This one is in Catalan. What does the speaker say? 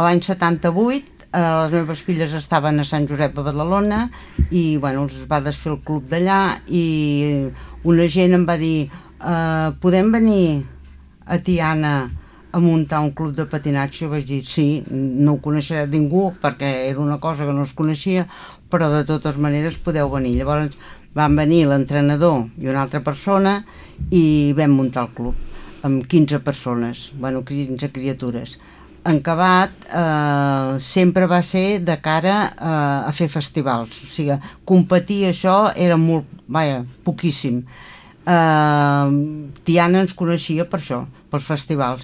l'any 78 les meves filles estaven a Sant Josep de Badalona i bueno, els va desfer el club d'allà i una gent em va dir podem venir a Tiana a muntar un club de patinatge? Jo vaig dir sí, no ho coneixerà ningú perquè era una cosa que no es coneixia, però de totes maneres podeu venir. Llavors van venir l'entrenador i una altra persona i vam muntar el club amb 15 persones, bueno, 15 criatures. En acabat sempre va ser de cara a fer festivals, o sigui, competir això era molt, poquíssim. Tiana ens coneixia per això, pels festivals,